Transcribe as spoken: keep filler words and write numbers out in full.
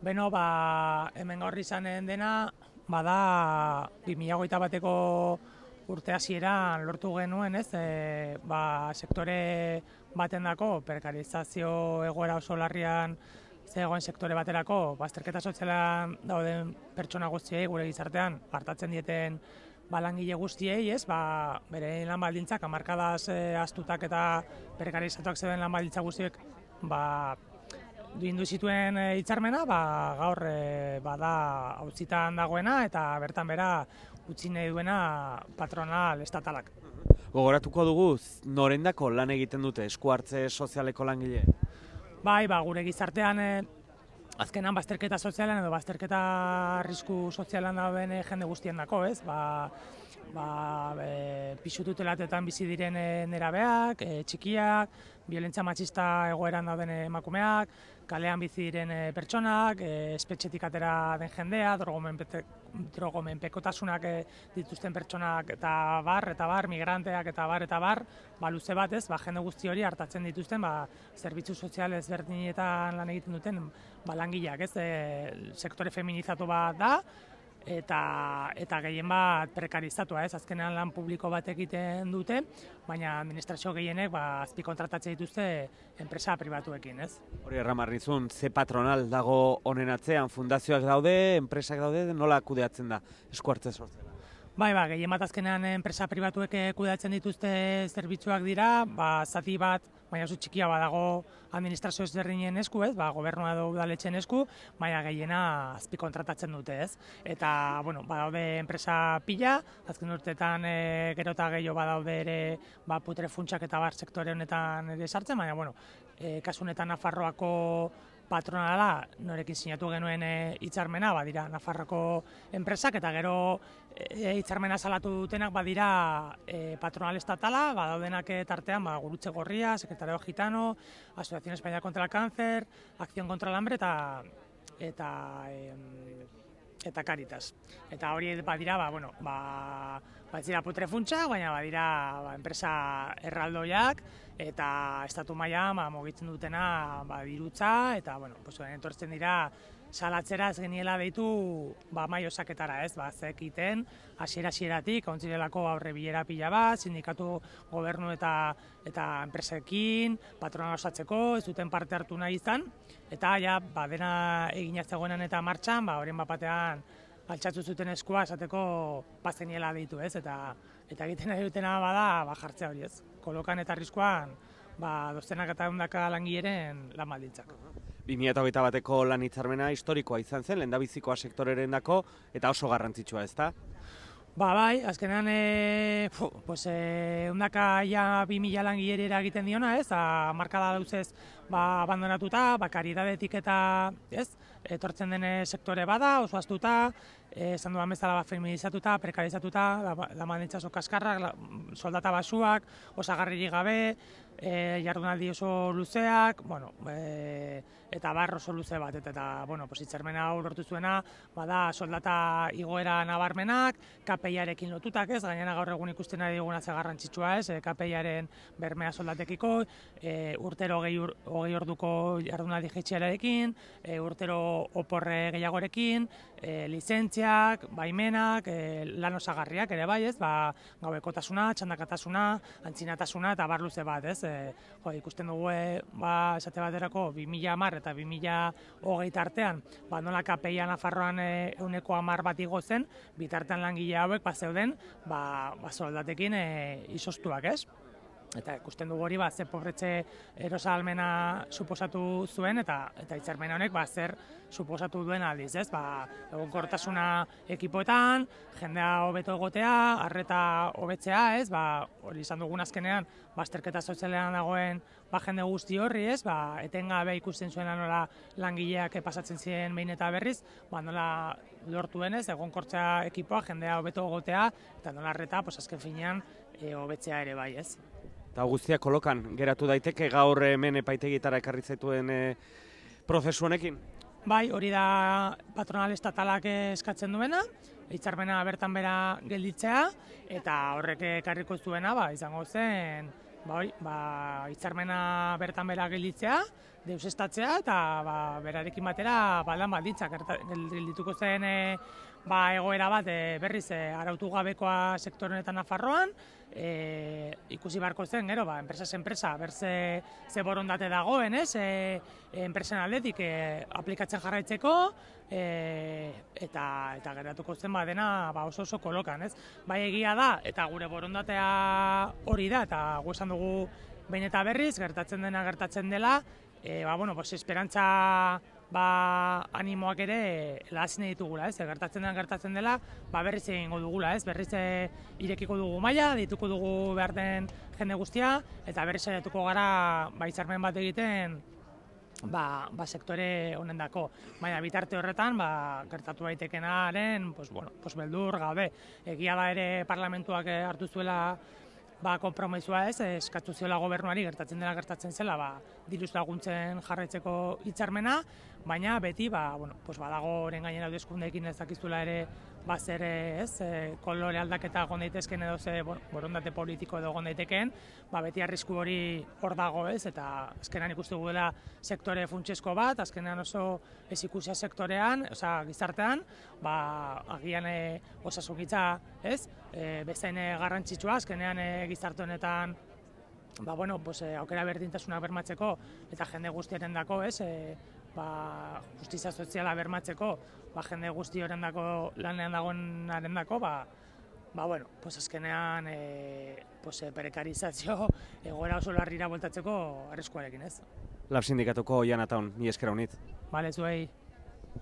Beno, ba, hemen gaur izanen dena, bada bi mila hogeita bateko urte hasieran lortu genuen, ez, e, ba, sektore batendako, prekarizazio egoera oso larrian zegoen sektore baterako, bazterketa sozialan dauden pertsona guztiei gure gizartean hartatzen dieten ba, langile guztiei, ez, ba, bere lan baldintzak, hamarkadaz e, ahaztutak eta prekarizatuak zeuden lan baldintza guztiek, ba, duindu zituen e, hitzarmena, ba, gaur e, bada auzitan dagoena eta bertan bera utzi nahi duena patronal estatalak. Gogoratuko dugu, norendako lan egiten dute esku hartze sozialeko langile? Bai, ba, gure gizartean e, azkenan bazterketa sozialan edo bazterketa arrisku sozialan dauden e, jende guztien dako, ez? Ba, ba, e, pisu tutelatetan bizi diren e, nerabeak, e, txikiak, biolentzia matxista egoeran dauden emakumeak, kalean bizi diren e, pertsonak, e, espetxetik atera den jendea, drogomenpekotasunak e, dituzten pertsonak eta bar, eta bar, migranteak eta bar, eta bar, ba, luze batez, ba, jende guzti hori hartatzen dituzten, ba, zerbitzu sozial ezberdinetan lan egiten duten ba, langileak, ez, e, sektore feminizatu bat da, eta eta gehien bat prekarizatua, ez, azkenean lan publiko bat egiten dute, baina administrazio gehienek ba, azpikontratatzen dituzte enpresa pribatuekin, ez. Hori erramarrizun, ze patronal dago honen atzean, fundazioak daude, enpresak daude, nola kudeatzen da esku hartze soziala? Bai, ba, gehien bat azkenean enpresa pribatuek kudeatzen dituzte zerbitzuak dira, ba, zati bat, baina oso txikia badago administrazio ezberdinen esku, ez, ba, gobernua edo udaletxeen esku, baina gehiena azpikontratatzen dute, ez. Eta, bueno, badaude enpresa pila, azken urteetan e, gero eta gehiago badaude ere ba, putre funtsak eta bar sektore honetan ere sartzen, baina, bueno, e, kasu honetan Nafarroako patronala, norekin sinatu genuen hitzarmena, e, badira Nafarroko enpresak, eta gero hitzarmena e, salatu dutenak badira e, patronal estatala, badaudenak tartean ba, Gurutze Gorria, Secretario Gitano, Asociación Española contra el Cáncer, Acción contra el Hambre eta eta e, eta Caritas. Eta hori badira, ba, bueno, ba, badira putre funtsa, baina badira ba, enpresa erraldoiak, eta estatu mailan ba, mugitzen dutena ba, dirutza, eta bueno, pues, entortzen dira salatzera ez geniela deitu ba, mai osaketara, ez, ba, zekiten, hasiera-hasieratik, ontzirelako aurre bilera pila bat, sindikatu gobernu eta eta enpresekin, patronal osatzeko, ez duten parte hartu nahi izan, eta ja, ba, dena eginaz zegoenan eta martxan, ba, horien bapatean altxatu zuten eskua esateko bazeniela deitu, ez, eta eta egiten nahi dutena bada ba, jartzea hori, ez, kolokan eta arriskuan ba, dozenak eta ehundaka langileren lan baldintzak. bi mila hogeita bateko lan hitzarmena historikoa izan zen, lehendabizikoa sektorerendako eta oso garrantzitsua, ezta? Ba, bai, azkenean e, fu, pues, e, undaka ja bi mila langilera egiten diona, ez, hamarkada dauzez ba, abandonatuta, ba, karidadetik eta, ez, etortzen den sektore bada, oso aztuta, e, esan duan bezala ba, feminizatuta, prekarizatuta, la baldintza oso kaskarrak, la, soldata basuak, osagarririk gabe, e, jardunaldi oso luzeak, bueno, e, eta bar oso luze bat, eta, eta bueno, pues, hitzarmena hau lortu zuena, bada soldata igoera nabarmenak, K P I-arekin lotutak, ez, gainera gaur egun ikusten ari diguna ze garrantzitsua, ez, K P I-aren bermea soldatekiko, e, urtero hogei ur, orduko jardunaldi jaitxiarekin, e, urtero oporre gehiagorekin, e, lizentziak, baimenak, e, lan osagarriak ere bai, ez, ba, gauekotasuna, txandakatasuna, antzinatasuna eta bar luze bat, ez, e, jo, ikusten dugu, e, ba, esate baterako bi mila hamar eta bi mila hogeita artean, ba, nola K P I-a Nafarroan e, euneko hamar bat igo zen, bitartean langile hauek ba, zeuden ba, ba, soldatekin e, izostuak, ez? Eta ikusten dugu hori, ba, ze pobretze erosalmena suposatu zuen, eta eta hitzarmen honek ba, zer suposatu duen aldiz, ez? Ba, egonkortasuna ekipoetan, jendea hobeto egotea, arreta hobetzea, ez? Ba, hori izan dugun azkenean, bazterketa sozialean dagoen ba, jende guzti horri, ez? Ba, etengabe ikusten zuena nola langileak pasatzen ziren behin eta berriz, ba, nola lortu denez, egonkortzea ekipoa, jendea hobeto egotea, eta nola arreta, pues, azken finean, e, hobetzea ere bai, ez? Eta guztia kolokan geratu daiteke gaur hemen epaitegitara ekarri zaituen e, prozesu honekin? Bai, hori da patronal estatalak eskatzen duena, hitzarmena bertan bera gelditzea, eta horrek ekarriko zuena ba, izango zen ba, hori, ba, hitzarmena bertan bera gelditzea, deusestatzea eta ba, berarekin batera ba, lan baldintzak geldituko zen e, ba, egoera bat e, berriz e, arautu gabekoa sektore honetan Nafarroan, e, ikusi beharko zen, gero, ba, enpresa enpresa, berze ze borondate dagoen, ez, e, enpresen aldetik e, aplikatzen jarraitzeko, e, eta eta geratuko zen ba, dena ba, oso oso kolokan, ez. Bai egia da, eta gure borondatea hori da, eta gu esan dugu behin eta berriz, gertatzen dena gertatzen dela, e, ba, bueno, pues, esperantza ba, animoak ere lahazine ditugula, ez? Gertatzen den gertatzen dela, ba, berriz egingo dugula, ez? Berriz e, irekiko dugu maila, dituko dugu behar den jende guztia, eta berriz saiatuko gara ba, hitzarmen bat egiten ba, ba, sektore honendako. Baina bitarte horretan, ba, gertatu daitekenaren, pues, bueno, pues, beldur gabe. Egia da ere parlamentuak hartu zuela ba, konpromisua ez, eskatu ziola gobernuari gertatzen dela gertatzen zela, ba, diruz laguntzen jarraitzeko hitzarmena, baina beti, ba, bueno, pues badago oren gainera hauteskundeekin ez dakizula ere, ba, zer ez, e, kolore aldaketa egon daitezken edo ze, bueno, borondate politiko edo egon daiteken, ba, beti arrisku hori hor dago ez, eta azkenean ikustu dela sektore funtsesko bat, azkenean oso ez ikusia sektorean, oza, gizartean, ba, agian e, osasungintza, ez, e, bezain garrantzitsua, azkenean e, gizarte honetan, ba, bueno, pues, e, aukera berdintasuna bermatzeko eta jende guztiaren dako, ez, e, ba, justizia soziala bermatzeko, ba, jende guzti horrendako lanean dagoenaren dako, ba, ba, bueno, pues, azkenean e, pues, e, prekarizazio egoera oso larrira bueltatzeko arriskuarekin, ez. Lab sindikatuko Jan Ataun, ni esker honit. Bale, zuei.